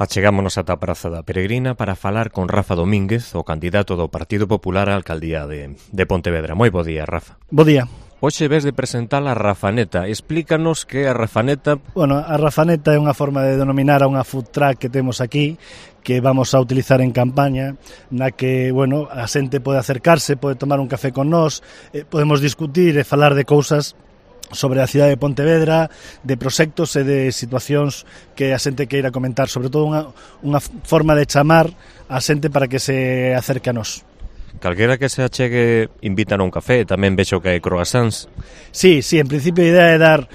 Achegámonos ata a Praza da Peregrina para falar con Rafa Domínguez, o candidato do Partido Popular á alcaldía de Pontevedra. Moi bo día, Rafa. Bo día. Hoxe ves de presentar a Rafaneta. Explícanos que a Rafaneta... Bueno, a Rafaneta é unha forma de denominar a unha food truck que temos aquí, que vamos a utilizar en campaña, na que, bueno, a xente pode acercarse, pode tomar un café con nós, podemos discutir e falar de cousas sobre a cidade de Pontevedra, de proxectos e de situacións que a xente queira comentar, sobre todo unha forma de chamar a xente para que se acerque a nós. Calquera que se achegue invitan a un café, tamén vexo que hai croissants. Sí, en principio a idea é dar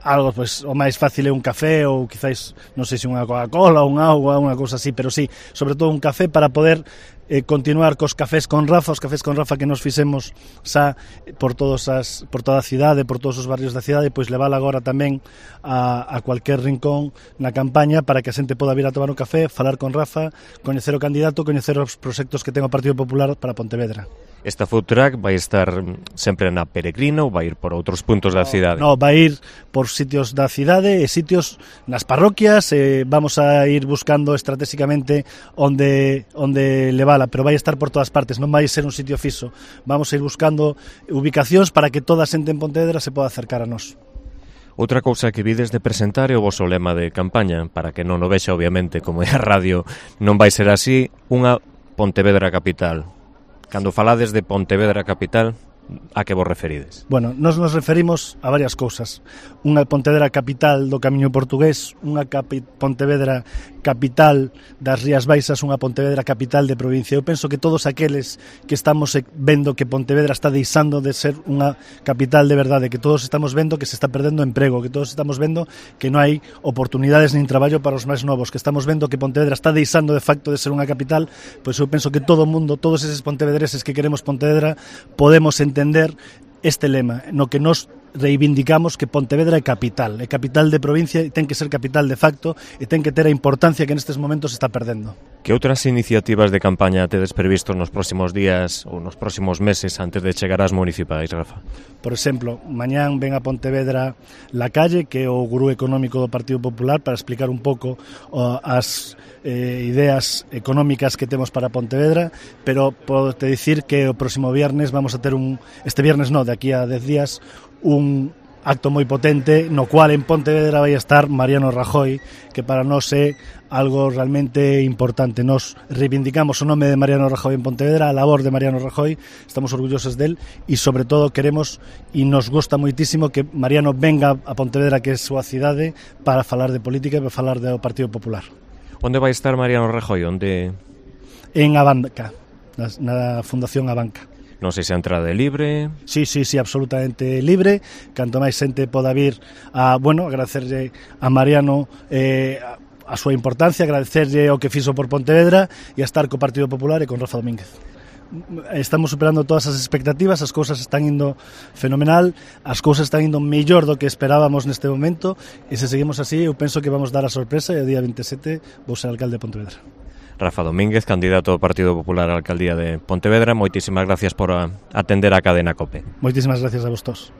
algo, pues, o máis fácil é un café ou quizáis, non sei se unha Coca-Cola ou unha auga, unha cousa así, pero sí, sobre todo un café para poder continuar cos cafés con Rafa, os cafés con Rafa que nos fixemos xa por toda a cidade, por todos os barrios da cidade, pois levar agora tamén a cualquier rincón na campaña para que a xente poda vir a tomar un café, falar con Rafa, coñecer o candidato, coñecer os proxectos que ten o Partido Popular para Pontevedra. Esta food truck vai estar sempre na Peregrina ou vai ir por outros puntos da cidade? No, vai ir por sitios da cidade e sitios nas parroquias, vamos a ir buscando estratégicamente onde levala, pero vai estar por todas partes, non vai ser un sitio fixo. Vamos a ir buscando ubicacións para que toda a xente en Pontevedra se poda acercar a nós. Outra cousa que vides de presentar é o voso lema de campaña, para que non o vexa, obviamente, como é a radio, non vai ser así, unha Pontevedra capital. Cando falades de Pontevedra capital, a que vos referides? Bueno, nos referimos a varias cousas. Unha Pontevedra capital do Camiño Portugués, unha Pontevedra capital das Rías Baixas, unha Pontevedra capital de provincia. Eu penso que todos aqueles que estamos vendo que Pontevedra está deixando de ser unha capital de verdade, que todos estamos vendo que se está perdendo emprego, que todos estamos vendo que non hai oportunidades nin traballo para os máis novos, que estamos vendo que Pontevedra está deixando de facto de ser unha capital, pois eu penso que todo o mundo, todos eses pontevedreses que queremos Pontevedra, podemos entender este lema, no que nos reivindicamos que Pontevedra é capital de provincia e ten que ser capital de facto e ten que ter a importancia que nestes momentos está perdendo. Que outras iniciativas de campaña tedes previsto nos próximos días ou nos próximos meses antes de chegar ás municipais, Rafa? Por exemplo, mañán ven a Pontevedra La Calle, que é o gurú económico do Partido Popular, para explicar un pouco as ideas económicas que temos para Pontevedra, pero podo te dicir que o próximo viernes vamos a ter este viernes de aquí a 10 días, un acto moi potente no cual en Pontevedra vai estar Mariano Rajoy, que para nós é algo realmente importante. Nos reivindicamos o nome de Mariano Rajoy en Pontevedra, a labor de Mariano Rajoy, estamos orgullosos del e sobre todo queremos e nos gusta moitísimo que Mariano venga a Pontevedra, que é a súa cidade, para falar de política e para falar do Partido Popular. Onde vai estar Mariano Rajoy? Onde? En Abanca, na Fundación Abanca. Non sei se a entrada é libre... Sí, absolutamente libre. Canto máis xente poda vir a, agradecerlle a Mariano a súa importancia, agradecerlle o que fixo por Pontevedra e a estar co Partido Popular e con Rafa Domínguez. Estamos superando todas as expectativas, as cousas están indo fenomenal, as cousas están indo mellor do que esperábamos neste momento e se seguimos así eu penso que vamos dar a sorpresa e o día 27 vou ser alcalde de Pontevedra. Rafa Domínguez, candidato do Partido Popular á alcaldía de Pontevedra, moitísimas gracias por atender a cadena COPE. Moitísimas gracias a vosotros.